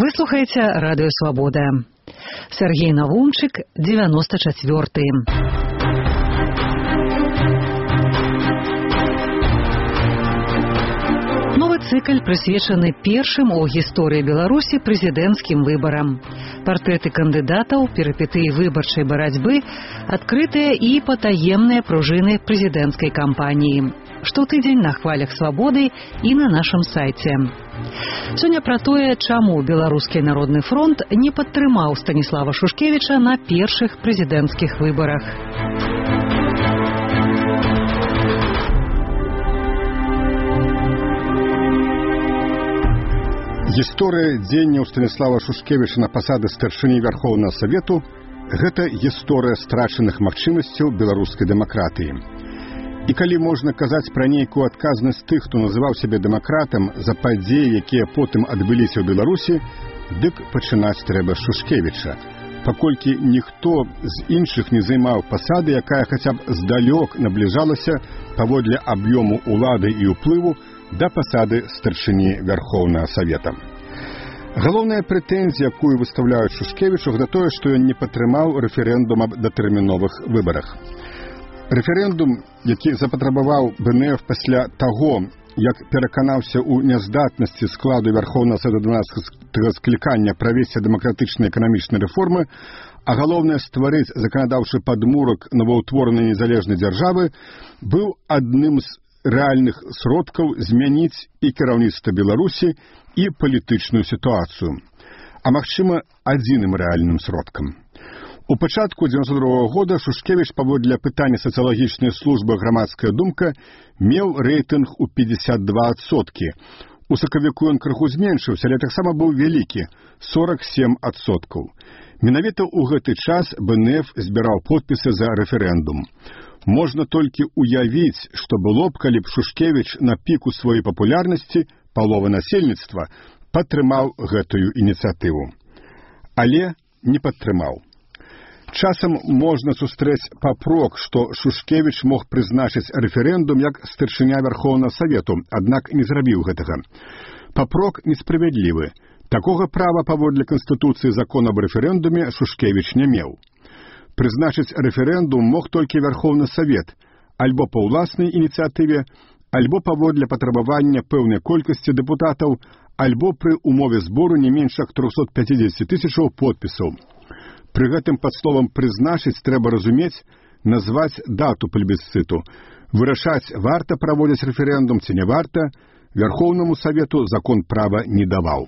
Вы слухаеце Радыё Свабода. Сергей Навумчык, 94-й. Новы цыкль прысвечаны першым у гісторыі Беларусі прэзідэнцкім выбарам. Партрэты кандыдатаў, перыпетыі выбарчай барацьбы, адкрытыя і патаемныя пружыны прэзідэнцкай кампаніі. Штотыдзень на хвалях свабоды і на нашым сайце. Сёння пра тое, чаму Беларускі народны фронт не падтрымаў Станіслава Шушкевіча на першых прэзідэнцкіх выбарах. Гісторыя дзеянняў Станіслава Шушкевіча на пасады старшыні Вярхоўнага Савету – гэта гісторыя страчаных магчымасцяў беларускай дэмакратыі. І калі можна казаць пра нейкую адказнасць тых, хто называў сябе дэмакратам за падзеі, якія потым адбыліся ў Беларусі, дык пачынаць трэба з Шушкевіча, паколькі ніхто з іншых не займаў пасады, якая хаця б здалёк набліжалася паводле аб'ёму ўлады і ўплыву да пасады старшыні Вярхоўнага Савета. Галоўная прэтэнзія, якую выстаўляюць Шушкевічу, гэта тое, што ён не падтрымаў рэферэндум аб датэрміновых выбарах. Рэферэндум, які запатрабаваў БНФ пасля таго, як пераканаўся ў няздатнасці складу Вярхоўнага Савета 12-го склікання правесці дэмакратычныя эканамічныя рэформы, а галоўнае стварыць заканадаўчы падмурак новаўтворанай незалежнай дзяржавы, быў адным з рэальных сродкаў змяніць і кіраўніцтва Беларусі, і палітычную сітуацыю, а магчыма, адзіным рэальным сродкам. У пачатку 92-го года Шушкевіч паводле пытання сацыялагічнай службы «Грамадская думка» меў рэйтынг у 52%. У сакавіку ён крыху зменшыўся, але таксама быў вялікі – 47%. Менавіта ў гэты час БНФ збіраў подпісы за рэферэндум. Можна толькі уявіць, што было б, калі б Шушкевіч на піку сваёй папулярнасці, палова насельніцтва, падтрымаў гэтую ініцыятыву. Але не падтрымаў. Часам можна сустрэць папрок, што Шушкевіч мог прызначыць рэферэндум як старшыня Вярхоўнага Савету, аднак не зрабіў гэтага. Папрок несправядлівы. Такога права паводле Канстытуцыі закон аб рэферэндуме Шушкевіч не меў. Прызначыць рэферэндум мог толькі Вярхоўны Савет, альбо па ўласнай ініцыятыве, альбо паводле патрабавання пэўнай колькасці дэпутатаў, альбо пры умове збору не менш як 350 000 подпісаў. Пры гэтым пад словам «прызначыць» трэба разумець, назваць дату плебісцыту. Вырашаць, варта праводзіць рэферэндум ці не варта, Вярхоўнаму Савету закон права не даваў.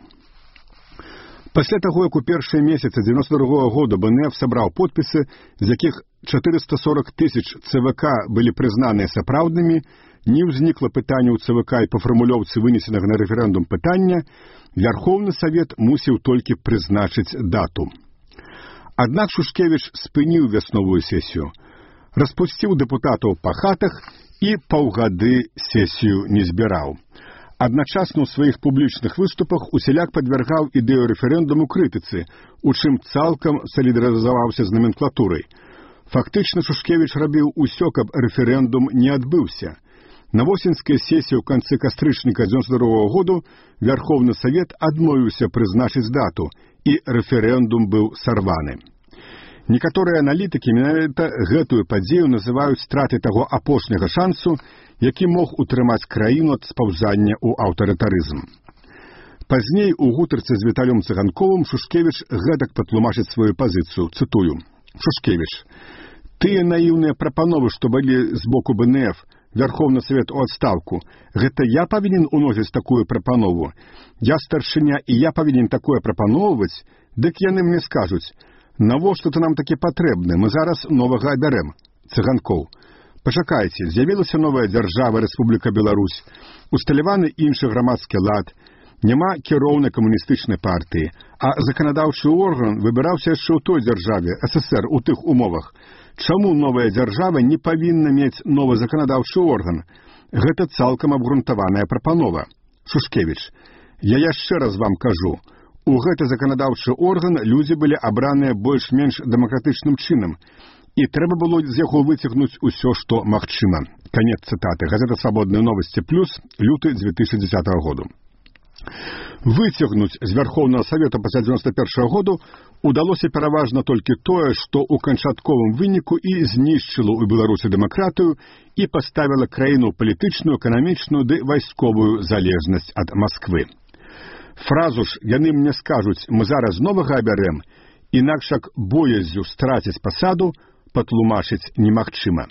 Пасля таго, як у першыя месяцы 92-го года БНФ сабраў подпісы, з якіх 440 000 ЦВК былі прызнаныя сапраўднымі, не ўзнікла пытання ў ЦВК і па фармулёўцы вынесенага на рэферэндум пытання, Вярхоўны Савет мусіў толькі прызначыць дату. Аднак Шушкевіч спыніў вясновую сесію, распусціў дэпутатаў па хатах і паўгады сесію не збіраў. Адначасна ў сваіх публічных выступах усяляк падвяргаў ідэю рэферэндуму крытыцы, у чым цалкам салідарызаваўся з наменклатурай. Фактычна Шушкевіч рабіў усё, каб рэферэндум не адбыўся. На восеньскай сесіі ў канцы кастрычніка 92-го году Вярхоўны Савет адмовіўся прызначыць дату, і рэферэндум быў сарваны. Некаторыя аналітыкі менавіта гэтую падзею называюць стратай таго апошняга шансу, які мог утрымаць краіну ад спаўзання ў аўтарытарызм. Пазней у гутарцы з Віталём Цыганковым Шушкевіч гэтак патлумачыць сваю пазіцыю, цытую: «Шушкевіч, тыя наіўныя прапановы, што былі з боку БНФ, Вярхоўны Савет у адстаўку, гэта я павінен уносіць такую прапанову? Я старшыня, і я павінен такое прапаноўваць? Дык яны мне скажуць: навошта ты нам такі патрэбны, мы зараз новага абярэм». Цыганкоў: «Пачакайце, з'явілася новая дзяржава, Рэспубліка Беларусь, усталяваны іншы грамадскі лад, няма кіроўнай камуністычнай партыі, а заканадаўчы орган выбіраўся яшчэ ў той дзяржаве, СССР, у тых умовах. Чаму новая дзяржава не павінна мець новы заканадаўчы орган? Гэта цалкам абгрунтаваная прапанова». Шушкевіч: «Я яшчэ раз вам кажу, у гэты заканадаўчы орган людзі былі абраныя больш-менш дэмакратычным чынам, і трэба было з яго выцягнуць усё, што магчыма». Канец цытаты. Газета «Свабодныя новасці плюс», люты 2010 году. Выцягнуць з Вярхоўнага Савета пасля 91 году удалося пераважна толькі тое, што ў канчатковым выніку і знішчыла ў Беларусі дэмакратыю і паставіла краіну палітычную, эканамічную ды вайсковую залежнасць ад Масквы. Фразу ж «яны мне скажуць, мы зараз новага абярэм», інакш як боязю страціць пасаду, патлумачыць немагчыма.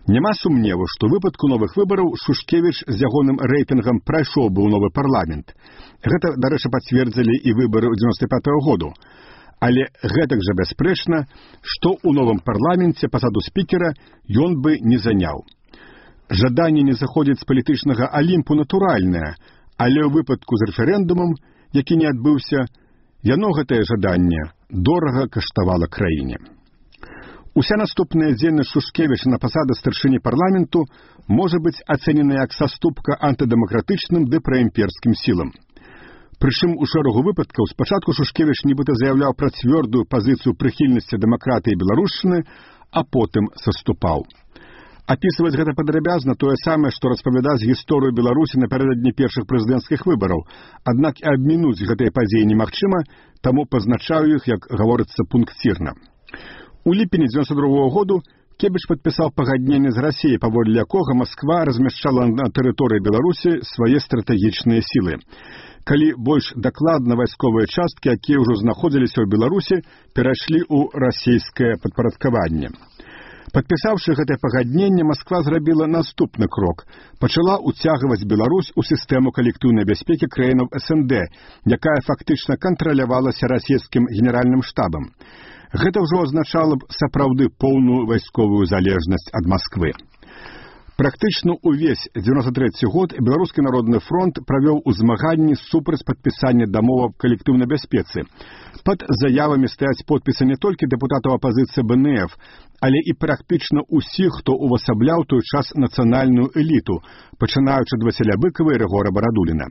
Няма сумневу, што ў выпадку новых выбараў Шушкевіч з ягоным рэйтынгам прайшоў бы ў новы парламент. Гэта, дарэчы, пацвердзілі і выбары ў 95-го году. Але гэтак жа бясспрэчна, што ў новым парламенце пасаду спікера ён бы не заняў. Жаданне не заходзіць з палітычнага алімпу натуральнае, але ў выпадку з рэферэндумам, які не адбыўся, яно гэтае жаданне дорага каштавала краіне. Уся наступная дзейнасць Шушкевіча на пасаду старшыні парламенту можа быць ацэнена як саступка антыдэмакратычным ды праімперскім сілам. Прычым у шэрагу выпадкаў спачатку Шушкевіч нібыта заяўляў пра цвёрдую пазіцыю прыхільнасці дэмакратыі беларушчыны, а потым саступаў. Апісваць гэта падрабязна тое самае, што распавядаць гісторыю Беларусі напярэдадні першых прэзідэнцкіх выбараў, аднак і абмінуць гэтыя падзеі немагчыма, таму пазначаю іх, як гаворыцца, пункцірна. У ліпені 92 году Кебіч падпісаў пагадненне з Расіяй, паводле якога Масква размяшчала на тэрыторыі Беларусі свае стратэгічныя сілы. Калі больш дакладна вайсковыя часткі, якія ўжо знаходзіліся ў Беларусі, перайшлі ў расійскае падпарадкаванне. Падпісаўшы гэтае пагадненне, Масква зрабіла наступны крок. Пачала ўцягваць Беларусь у сістэму калектыўнай бяспекі краінаў СНД, якая фактычна кантралявалася расійскім генеральным штабам. Гэта ўжо азначала б сапраўды поўную вайсковую залежнасць ад Масквы. Практычна ўвесь 93 год Беларускі народны фронт правёў у змаганні супраць падпісання дамовы аб калектыўнай бяспецы. Пад заявамі стаяць подпісы не толькі дэпутатаў апазіцыі БНФ, але і практычна ўсіх, хто увасабляў той час нацыянальную эліту, пачынаючы ад Васіля Быкава і Рыгора Барадуліна.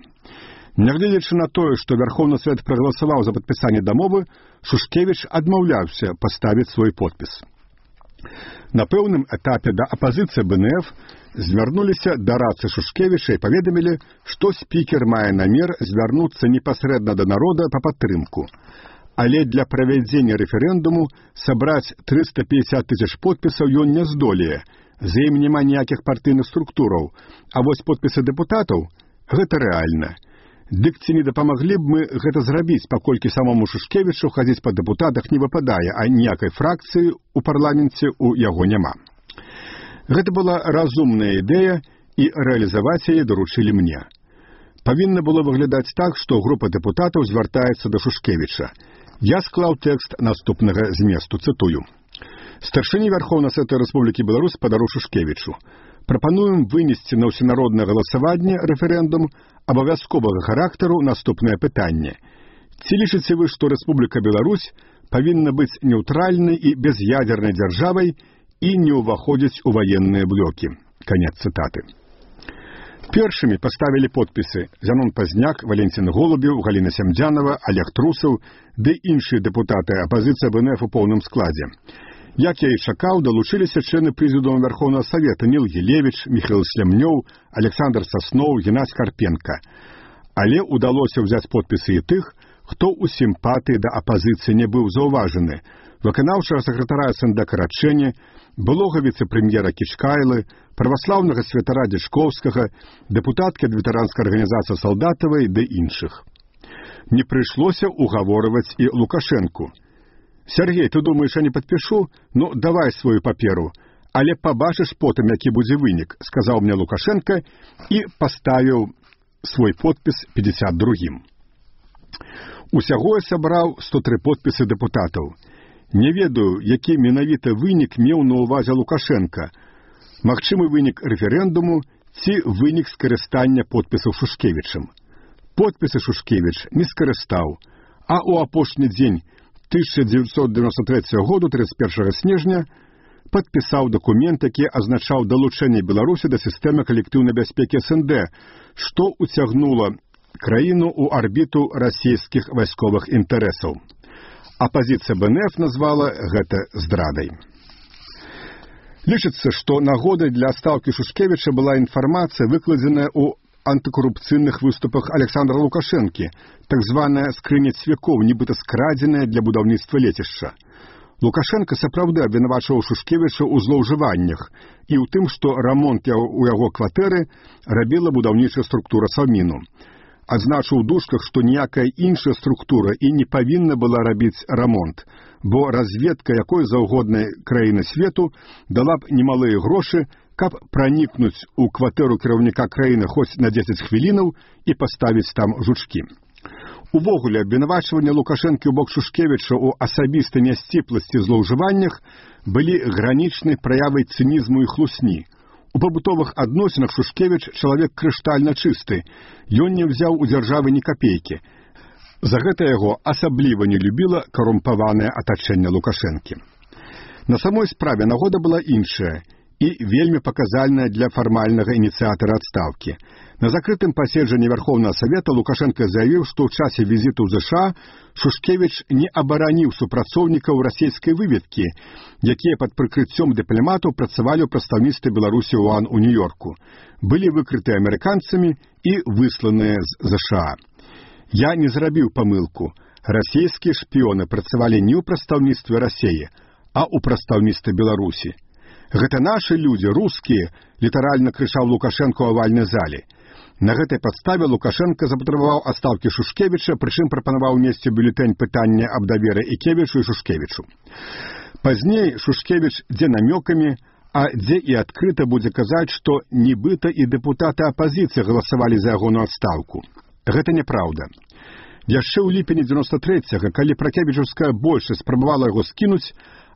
Нягледзячы на тое, што Вярхоўны Савет прагаласаваў за падпісанне дамовы, Шушкевіч адмаўляўся паставіць свой подпіс. На пэўным этапе да апазіцыі БНФ звярнуліся да рацы Шушкевіча і паведамілі, што спікер мае намер звярнуцца непасрэдна да народа па падтрымку. Але для правядзення рэферэндуму сабраць 350 тысяч подпісаў ён не здолее, за ім няма ніякіх партыйных структураў, а вось подпісы дэпутатаў – гэта рэальна. Дык ці не дапамаглі б мы гэта зрабіць, паколькі самому Шушкевічу хадзіць па дэпутатах не выпадае, а ніякай фракцыі ў парламенце ў яго няма. Гэта была разумная ідэя, і рэалізаваць яе даручылі мне. Павінна было выглядаць так, што група дэпутатаў звяртаецца да Шушкевіча. Я склаў тэкст наступнага зместу, цытую. Старшыні Вярхоўнага Савета Рэспублікі Беларусь падару Шушкевічу. Прапануем вынесці на ўсенароднае галасаванне рэферэндум абавязковага характару наступнае пытанне. Ці лічыце вы, што Рэспубліка Беларусь павінна быць неўтральнай і без'ядзернай дзяржавай і не ўваходзіць у ваенныя блокі? Канец цытаты. Першымі паставілі подпісы Зянон Пазняк, Валенцін Голубеў, Галіна Сямдзянова, Олег Трусаў ды іншыя дэпутаты апазіцыі БНФ у поўным складзе. Як я і чакаў, далучыліся члены прэзідыума Вярхоўнага Савета Ніл Гілевіч, Міхаіл Слямнёў, Александр Сасноў, Геннадзь Карпенка. Але удалося ўзяць подпісы і тых, хто ў сімпатыі да апазіцыі не быў заўважаны. Выканаўчага сакратара СНД Карачэні, былога віцэ-прэм'ера Кічкайлы, праваслаўнага святара Дзічковскага, дэпутаткі ад ветэранскай арганізацыі Салдатавай ды іншых. Не прыйшлося угаворваць і Лукашэнку. «Сергей, ты думаешь, я не подпишу? Ну, давай свою паперу. Але побачыш потым, які будзе вынік», — сказаў мне Лукашенко і паставіў свой подпіс 52-м. Усяго я сабраў 103 подпісы дэпутатаў. Не ведаю, які менавіта вынік меў на ўвазе Лукашенко. Магчымы вынік рэферэндуму ці вынік скарыстання подпісаў Шушкевічам. Подпісы Шушкевіч не скарыстаў, а ў апошні дзень 1993 году, 31 снежня, падпісаў дакумент, які азначаў далучэнне Беларусі да сістэмы калектыўнай бяспекі СНД, што ўцягнула краіну ў арбіту расійскіх вайсковых інтарэсаў. Апазіцыя БНФ назвала гэта здрадай. Лічыцца, што нагодай для адстаўкі Шушкевіча была інфармацыя, выкладзеная ў антыкорупцыйных выступах Александра Лукашэнкі, так званая скрыня цвякоў, нібыта скрадзеная для будаўніцтва лецішча. Лукашенко сапраўды абвінавачваў Шушкевіча ў злоўжываннях і ў тым, што рамонт у яго кватэры рабіла будаўнічая структура Савміну. Адзначыў у дужках, што ніякая іншая структура і не павінна была рабіць рамонт, бо разведка якой заўгоднай краіны свету дала б немалыя грошы, каб пранікнуць у кватэру кіраўніка краіны хоць на 10 хвілінаў і паставіць там жучкі. Увогуле, абвінавачванне Лукашэнкі ў бок Шушкевіча ў асабістай нясціпласці злоўжываннях былі гранічнай праявай цынізму і хлусні. У пабутовых адносінах Шушкевіч чалавек крыштальна чысты, ён не ўзяў у дзяржавы ні капейкі. За гэта яго асабліва не любіла карумпаванае атачэнне Лукашэнкі. На самой справе нагода была іншая і вельмі паказальная для фармальнага ініцыятара адстаўкі. На закрытым паседжанні Верховнага Савета Лукашенко заявіў, што ў часе візіту ў ЗША Шушкевіч не абараніў супрацоўнікаў расійскай выведкі, якія пад прыкрыццём дыпламатаў працавалі ў прадстаўніцтве Беларусі УАН у Нью-Йорку, былі выкрыты амерыканцамі і высланыя з ЗША. Я не зрабіў памылку. Расійскія шпіёны працавалі не ў прадстаўніцтве Расіі, а ў прадстаўніцтве Беларусі. Гэта нашы людзі, рускія, літаральна крычаў Лукашенко ў авальнай зале. На гэтай падставе Лукашенко запатрабаваў адстаўкі Шушкевіча, прычым прапанаваў унесці ў бюлетэнь пытання аб даверы Ікевічу і Шушкевічу. Пазней Шушкевіч дзе намёкамі, а дзе і адкрыта будзе казаць, што нібыта і дэпутаты апазіцыі галасавалі за ягоную адстаўку. Гэта няпраўда. Яшчэ ў ліпені 93-го, калі пракевічаўская большасць спрабавала яго скінуць,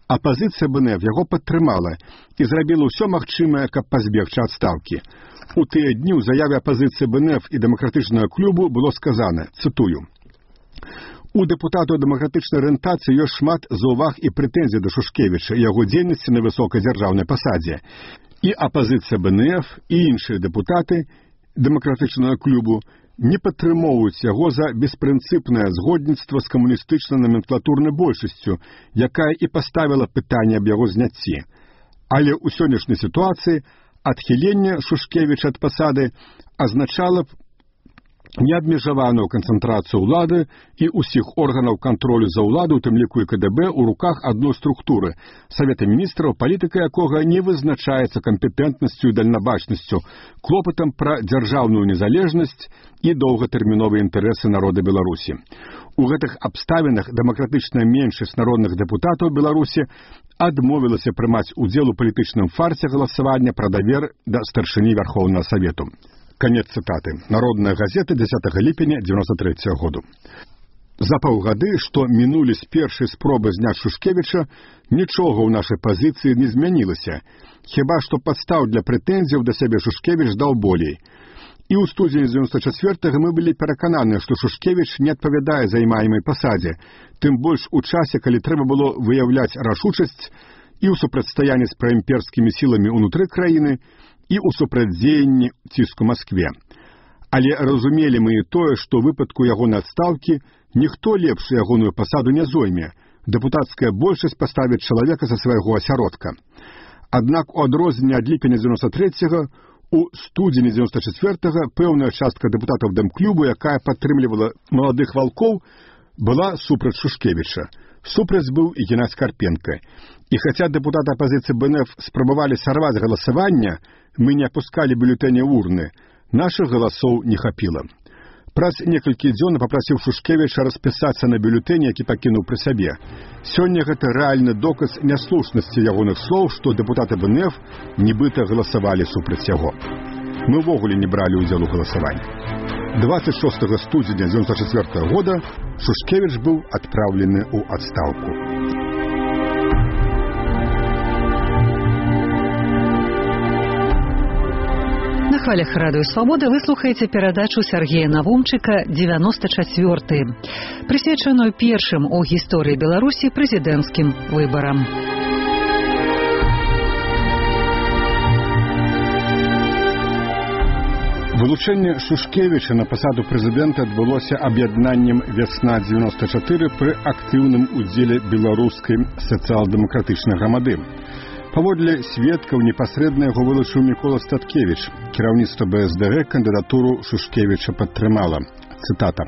апазіцыя БНФ яго падтрымала і зрабіла ўсё магчымае, каб пазбегчы адстаўкі. У тыя дні ў заяве апазіцыі БНФ і дэмакратычнага клубу было сказана, цытую: «У дэпутатаў дэмакратычнай арыентацыі ёсць шмат заўваг і прэтэнзій да Шушкевіча і яго дзейнасці на высокай дзяржаўнай пасадзе. І апазіцыя БНФ, і іншыя дэпутаты дэмакратычнага клубу не падтрымоўваюць яго за беспрынцыпнае згодніцтва з камуністычна-наменклатурнай большасцю, якая і паставіла пытанне аб яго зняцці. Але ў сённяшняй сітуацыі адхіленне Шушкевіча ад пасады азначала б неабмежаваную канцэнтрацыю ўлады і ўсіх органаў кантролю за ўладу, у тым ліку і КДБ, у руках адной структуры – Савета міністраў, палітыка якога не вызначаецца кампетэнтнасцю і дальнабачнасцю, клопатам пра дзяржаўную незалежнасць і доўгатэрміновыя інтарэсы народа Беларусі. У гэтых абставінах дэмакратычная меншасць народных дэпутатаў Беларусі адмовілася прымаць удзел у палітычным фарсе галасавання пра давер да старшыні Верховнага Савету. Конец цитаты. Народная газета 10 ліпеня 93 году. За паўгады, што мінулі з першай спробы зняць Шушкевіча, нічога ў нашай пазіцыі не змянілася. Хіба што падстаў для прэтэнзіяў да сябе Шушкевіч даў болей. І ў студзені 94-го мы былі перакананы, што Шушкевіч не адпавядае займаемай пасадзе, тым больш у часе, калі трэба было выяўляць рашучасць і ў супрацьстаянні з праімперскімі сіламі ўнутры краіны, і ў супрацьдзеянні ціску Маскве. Але разумелі мы і тое, што ў выпадку ягонай адстаўкі ніхто лепш ягоную пасаду не зойме. Дэпутацкая большасць паставіць чалавека за свайго асяродка. Аднак у адрозненне ад ліпеня 93-го, у студзені 94-го пэўная частка дэпутатаў Дэмклубу, якая падтрымлівала маладых валкоў, была супраць Шушкевіча. Супраць быў і Геннадзь Карпенка. І хаця дэпутаты апазіцыі БНФ спрабавалі сарваць галасаванне, мы не апускалі бюлетэні урны, нашых галасоў не хапіла. Праз некалькі дзён папрасіў Шушкевіча распісацца на бюлетэні, які пакінуў пры сабе. Сёння гэта рэальны доказ няслушнасці ягоных слоў, што дэпутаты БНФ нібыта галасавалі супраць яго. Мы ўвогуле не бралі ўдзел у галасаванні. 26 студзеня 1994 года Шушкевіч быў адпраўлены ў адстаўку. На хвалях радыё «Свабода» вы слухаеце перадачу Сергея Навумчыка «94», прысвечаную першым у гісторыі Беларусі прэзідэнцкім выбарам. Вылучэнне Шушкевіча на пасаду прэзідэнта адбылося аб'яднаннем «Вясна-94» пры актыўным удзеле беларускай сацыял-дэмакратычнай грамады. Паводле сведкаў непасрэдна яго вылучыў Мікола Статкевіч. Кіраўніцтва БСДГ кандыдатуру Шушкевіча падтрымала. Цытата.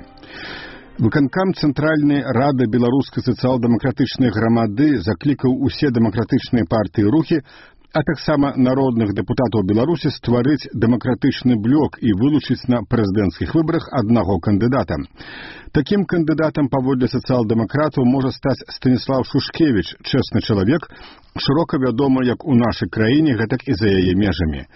Выканкам Цэнтральнай рады беларускай сацыял-дэмакратычнай грамады заклікаў усе дэмакратычныя партыі і рухі, а таксама народных дэпутатаў Беларусі стварыць дэмакратычны блок і вылучыць на прэзідэнцкіх выбарах аднаго кандыдата. Такім кандыдатам паводле сацыял-дэмакратаў можа стаць Станіслав Шушкевіч, чэсны чалавек, шырока вядомы як у нашай краіне, гэтак і за яе межамі.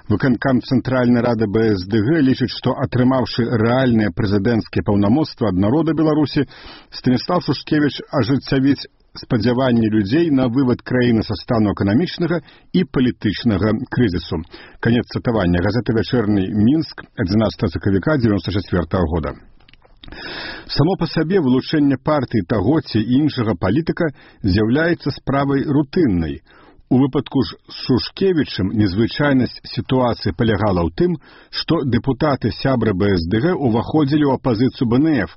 Выканкам Цэнтральнай рады БСДГ лічыць, што атрымаўшы рэальныя прэзідэнцкія паўнамоцтвы ад народа Беларусі, Станіслав Шушкевіч ажыццявіць спадзяванні людзей на вывад краіны са стану эканамічнага і палітычнага крызісу. Канец цытавання. Газета «Вячэрні Мінск», 11 сакавіка 1994 года. Само па сабе вылучэнне партыі таго ці іншага палітыка з'яўляецца справай рутыннай. У выпадку ж з Шушкевічам незвычайнасць сітуацыі палягала ў тым, што дэпутаты сябры БСДГ уваходзілі ў апазіцыю БНФ,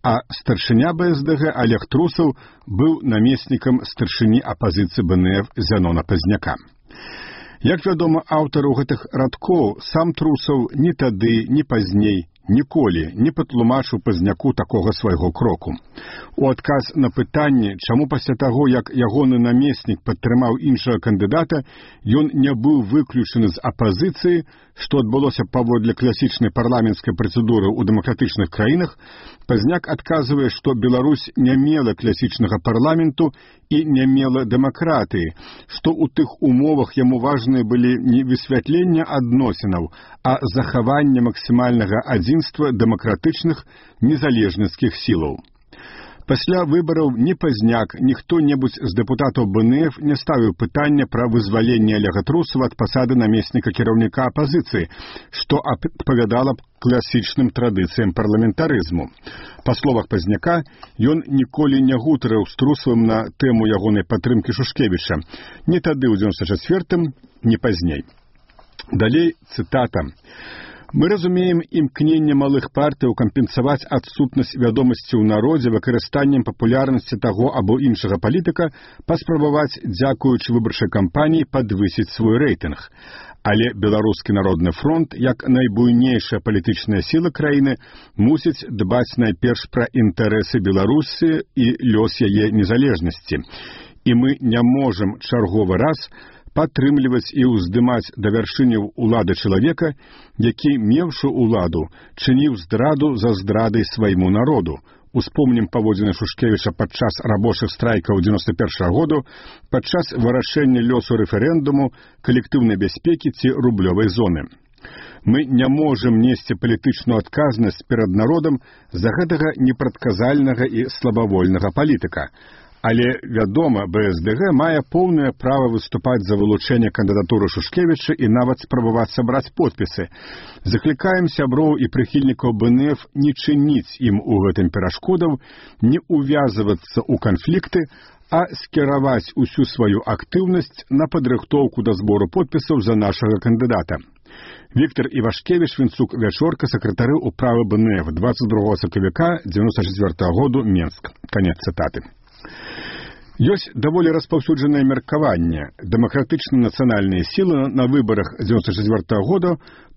а старшыня БСДГ Олег Трусаў быў намеснікам старшыні апазіцыі БНФ Зянона Пазняка. Як вядома аўтару гэтых радкоў, сам Трусаў ні тады, ні пазней ніколі не патлумачыў Пазняку такога свайго кроку. У адказ на пытанне, чаму пасля таго, як ягоны намеснік падтрымаў іншага кандыдата, ён не быў выключаны з апазіцыі, што адбылося паводле класічнай парламенцкай працэдуры ў дэмакратычных краінах, Пазняк адказвае, што Беларусь не мела класічнага парламенту і не мела дэмакратыі, што ў тых умовах яму важныя былі не высвятленне адносінаў, а захаванне максімальнага адзінства дэмакратычных незалежніцкіх сілаў. Пасля выбараў ні Пазняк, ні хто-небудзь з дэпутатаў БНФ не ставіў пытання пра вызваленне Олега Трусава ад пасады намесніка кіраўніка апазіцыі, што адпавядала класічным традыцыям парламентарызму. Па словах Пазняка, ён ніколі не гутарыў з Трусавым на тэму ягонай падтрымкі Шушкевіча, ні тады ў 94-м, ні пазней. Далей цытата. Мы разумеем імкненне малых партыяў кампенсаваць адсутнасць вядомасці ў народзе выкарыстаннем папулярнасці таго або іншага палітыка, паспрабаваць, дзякуючы выбарчай кампаніі, падвысіць свой рэйтынг. Але Беларускі народны фронт, як найбуйнейшая палітычная сіла краіны, мусіць дбаць найперш пра інтарэсы Беларусі і лёс яе незалежнасці. І мы не можам чарговы раз падтрымліваць і ўздымаць да вяршыняў улады чалавека, які, меўшы ўладу, чыніў здраду за здрадай свайму народу. Успомнім паводзіны Шушкевіча падчас рабочых страйкаў 91 году, падчас вырашэння лёсу рэферэндуму, калектыўнай бяспекі ці рублёвай зоны. Мы не можам несці палітычную адказнасць перад народам за гэтага непрадказальнага і слабавольнага палітыка. Але, вядома, БСДГ мае поўнае права выступаць за вылучэнне кандыдатуры Шушкевіча і нават спрабаваць сабраць подпісы. Заклікаем сяброў і прыхільнікаў БНФ не чыніць ім у гэтым перашкодаў, не увязвацца ў канфлікты, а скіраваць усю сваю актыўнасць на падрыхтоўку да збору подпісаў за нашага кандыдата. Віктор Івашкевіч, Вінцук, Вячорка, сакратары ўправы БНФ, 22 сакавіка 94 году, Менск. Канец цытаты. Ёсць даволі распаўсюджанае меркаванне. Дэмакратычныя нацыянальныя сілы на выбарах 94 года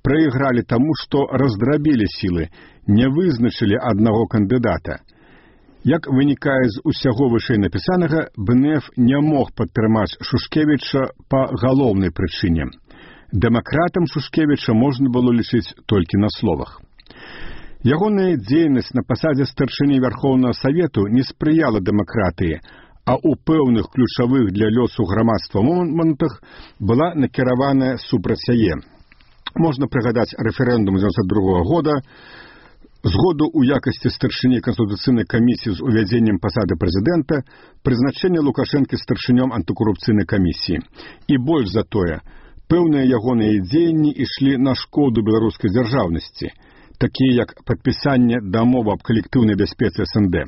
прайгралі таму, што раздрабілі сілы, не вызначылі аднаго кандыдата. Як вынікае з усяго вышэй напісанага, БНФ не мог падтрымаць Шушкевіча па галоўнай прычыне. Дэмакратам Шушкевіча можна было лічыць толькі на словах. Ягоная дзейнасць на пасадзе старшыні Вярхоўнага Савету не спрыяла дэмакратыі, а ў пэўных ключавых для лёсу грамадства момантах была накіраваная супраць яе. Можна прыгадаць рэферэндум 92 года, згоду ў якасці старшыні Канстытуцыйнай камісіі з увядзеннем пасады прэзідэнта, прызначэнне Лукашэнкі старшынём антыкарупцыйнай камісіі. І больш за тое, пэўныя ягоныя дзеянні ішлі на шкоду беларускай дзяржаўнасці, такія як падпісанне дамовы аб калектыўнай бяспецы СНД.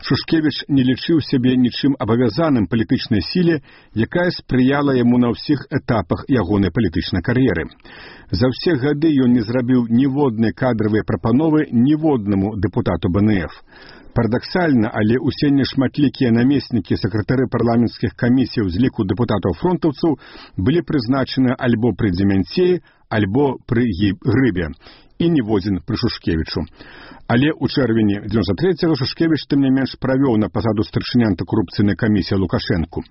Шушкевіч не лічыў сябе нічым абавязаным палітычнай сіле, якая спрыяла яму на ўсіх этапах ягонай палітычнай кар'еры. За ўсе гады ён не зрабіў ніводнай кадравай прапановы ніводнаму дэпутату БНФ. Парадаксальна, але ўсе нешматлікія намеснікі сакратары парламенцкіх камісій з ліку дэпутатаў-фронтаўцаў былі прызначаны альбо пры Дземянцеі, альбо пры Грыбе, і ніводзін пры Шушкевічу. Але ў чэрвені 93-го Шушкевіч тым не менш правёў на пасаду старшыні антыкарупцыйнай камісіі Лукашэнку.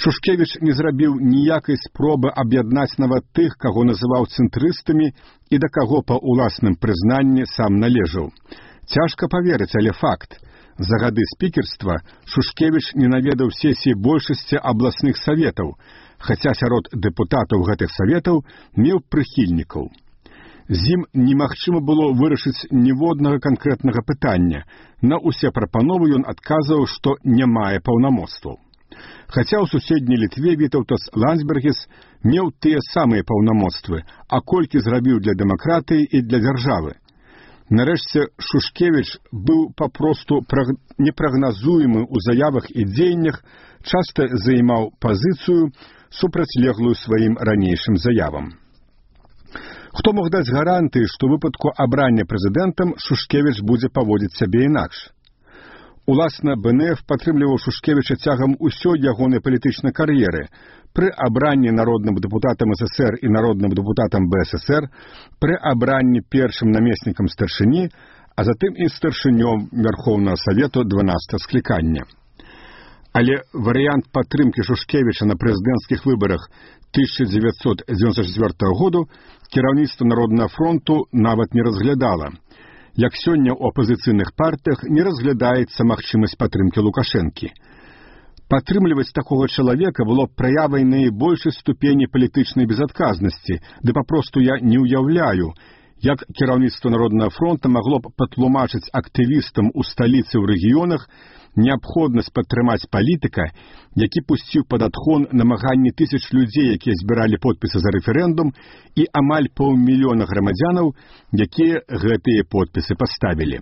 Шушкевіч не зрабіў ніякай спробы аб'яднаць нават тых, каго называў цэнтрыстамі і да каго па ўласным прызнанні сам належаў. Цяжка паверыць, але факт. За гады спікерства Шушкевіч не наведаў сесіі большасці абласных саветаў, хаця сярод дэпутатаў гэтых саветаў меў прыхільнікаў. З ім немагчыма было вырашыць ніводнага канкрэтнага пытання. На ўсе прапановы ён адказваў, што не мае паўнамоцтваў. Хаця ў суседняй Літве Вітаўтас Ландсбергіс меў тыя самыя паўнамоцтвы, а колькі зрабіў для дэмакратыі і для дзяржавы. Нарэшце, Шушкевіч быў папросту непрагназуемы ў заявах і дзеяннях, часта займаў пазіцыю, супрацьлеглую сваім ранейшым заявам. Хто мог даць гарантыі, што ў выпадку абрання прэзідэнтам Шушкевіч будзе паводзіць сябе інакш? Уласна, БНФ падтрымліваў Шушкевіча цягам усёй ягонай палітычнай кар'еры. Пры абранні народным дэпутатам СССР і народным дэпутатам БССР, пры абранні першым намеснікам старшыні, а затым і старшынём Верхоўнага Савету 12 склікання. Але варыянт падтрымкі Шушкевіча на прэзідэнцкіх выбарах 1994 году кіраўніцтва Народнага фронту нават не разглядала. Як сёння ў апазіцыйных партыях не разглядаецца магчымасць падтрымкі Лукашэнкі. Падтрымліваць такога чалавека было б праявай найбольшай ступені палітычнай безадказнасці, ды папросту я не ўяўляю, як кіраўніцтва Народнага фронта магло б патлумачыць актывістам у сталіцы ў рэгіёнах неабходнасць падтрымаць палітыка, які пусціў пад адхон намаганні тысяч людзей, якія збіралі подпісы за рэферэндум, і амаль 500 000 грамадзянаў, якія гэтыя подпісы паставілі.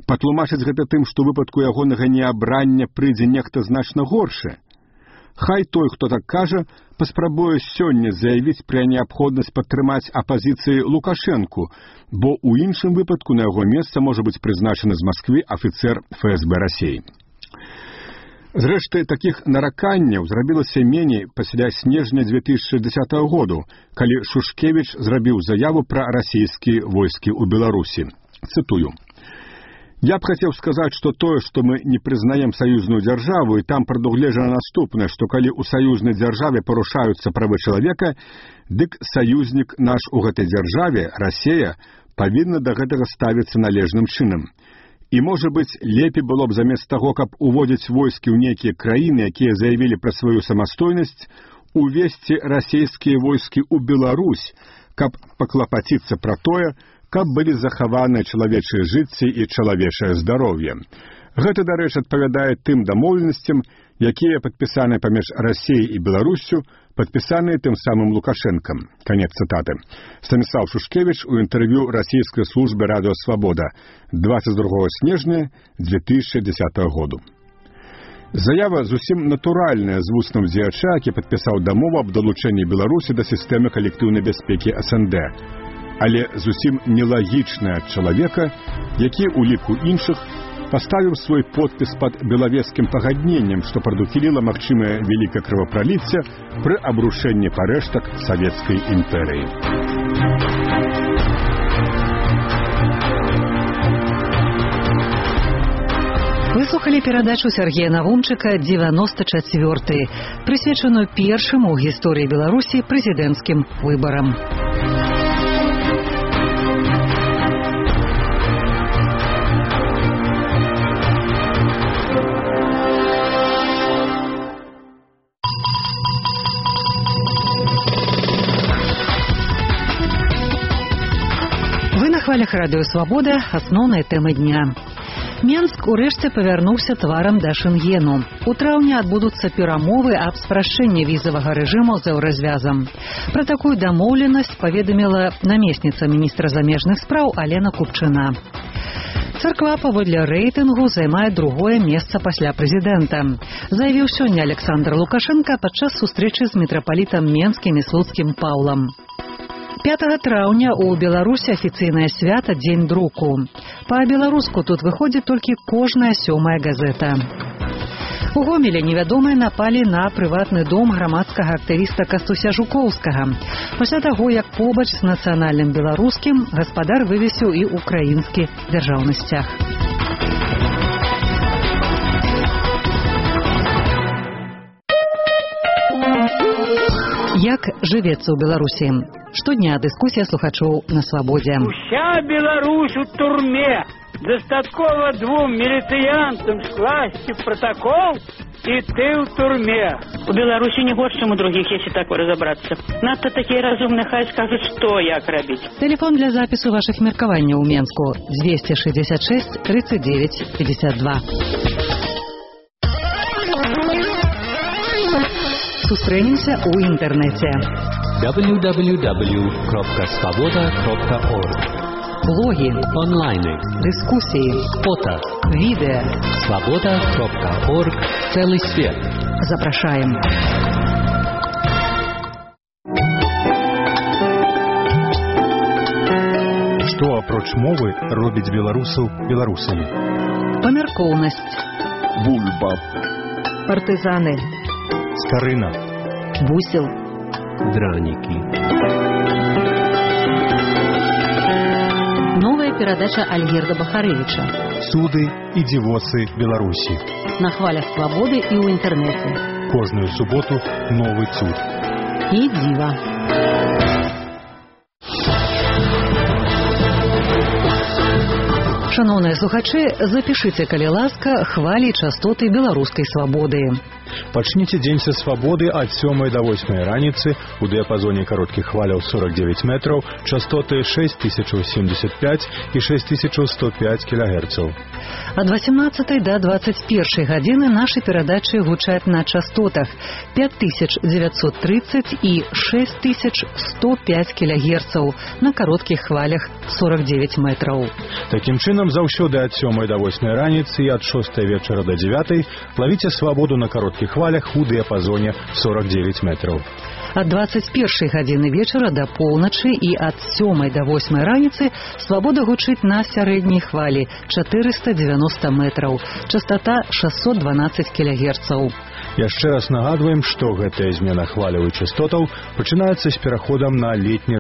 Патлумачыць гэта тым, што ў выпадку ягонага неабрання прыйдзе нехта значна горшы. Хай той, хто так кажа, паспрабуе сёння заявіць пра неабходнасць падтрымаць апазіцыі Лукашэнку, бо ў іншым выпадку на яго месца можа быць прызначаны з Масквы афіцэр ФСБ Расіі. Зрэшты, такіх нараканняў зрабілася меней пасля снежня 2010 году, калі Шушкевіч зрабіў заяву пра расійскія войскі ў Беларусі. Цытую. Я б хацеў сказаць, што тое, што мы не прызнаем саюзную дзяржаву, і там прадугледжана наступнае, што калі ў саюзнай дзяржаве парушаюцца правы чалавека, дык саюзнік наш у гэтай дзяржаве, Расія, павінна да гэтага ставіцца належным чынам. І, можа быць, лепей было б замест таго, каб уводзіць войскі ў нейкія краіны, якія заявілі пра сваю самастойнасць, увесці расійскія войскі ў Беларусь, каб паклапаціцца пра тое, каб былі захаваныя чалавечыя жыцці і чалавечае здароўе. Гэта, дарэчы, адпавядае тым дамоўленасцям, якія падпісаныя паміж Расіяй і Беларуссю, падпісаныя тым самым Лукашэнкам. Канец цытаты. Станіслав Шушкевіч у інтэрв'ю расійскай службы «Радыё Свабода» 22 снежня 2010 году. Заява зусім натуральная з вуснаў дзеяча, які падпісаў дамову аб далучэнні Беларусі да сістэмы калектыўнай бяспекі СНД. Але зусім нелагічная ад чалавека, які ў ліку іншых паставіў свой подпіс пад белавежскім пагадненнем, што прадухіліла магчымае вялікае крывапраліцце пры абрушэнні парэштак савецкай імперыі. Выслухалі перадачу Сергея Навумчыка «94», прысвечаную першым у гісторыі Беларусі прэзідэнцкім выбарам. На хвалях Радыё Свабода асноўныя тэмы дня. Менск урэшце павярнуўся тварам да Шэнгену. У траўні адбудуцца перамовы аб спрашчэнні візавага рэжыму з еўразвязам. Пра такую дамоўленасць паведаміла намесніца міністра замежных спраў Алена Купчына. Царква паводле рэйтынгу займае другое месца пасля прэзідэнта. Заявіў сёння Александр Лукашенко падчас сустрэчы з мітрапалітам менскім і слуцкім Паўлам. 5 траўня ў Беларусі афіцыйнае свята Дзень друку. Па-беларуску тут выходзіць толькі кожная 7-я газета. У Гомелі невядомыя напалі на прыватны дом грамадскага актывіста Кастуся Жукоўскага. Пасля таго, як побач з нацыянальным беларускім гаспадар вывесіў і украінскі дзяржаўны сцяг. Як жывецца ў Беларусі? Штодня дыскусія слухачоў на свабодзе. Уся Беларусь у турме. Достаткова 2 міліцыянтам скласці протокол, і ты ў турме. У Беларусі не горш, чым у другіх, если так разобраться. Надто такие разумные, хай скажут, что як рабіць. Телефон для запісу ваших меркаванняў у Менску 266 39 52. Сустрэнемся ў інтэрнэце. www.svoboda.org. Блоги, онлайны, дискуссии, фото, видео. Svoboda.org. Целый свет. Запрашаем. Што апроч мовы робіць беларусаў беларусамі? Памяркоўнасць. Бульба. Партызаны. Скарына. Бусел. Дранікі. Новая перадача Альгерда Бахарэвіча. Цуды і дзівосы Беларусі. На хвалях свабоды і ў інтэрнэце. Кожную суботу новы цуд. І дзіва. Шановныя слухачы, запішыце, калі ласка, хвалі і частоты беларускай свабоды. Пачніце дзень са свабоды ад 7 до 8 раніцы у дыяпазоне кароткіх хваляў 49 метраў, частоты 6075 і 6105 кГц. Ад 18 до 21 гадзіны нашы перадачы гучаць на частотах 5930 і 6105 кГц на кароткіх хвалях 49 метраў. Такім чынам, заўсёды ад 7 до 8 раніцы і ад 6 вечара до 9 лавіце свабоду на кароткіх хвалях у дыяпазоне 49 метраў. Ад 21 гадзіны вечара до поўначы і ад 7 до 8 раніцы свабода гучыць на сярэдняй хвалі 490 метраў, частота 612 кГц. Яшчэ раз нагадваем, што гэтая змена хваляў і частотаў пачынаецца з пераходам на летні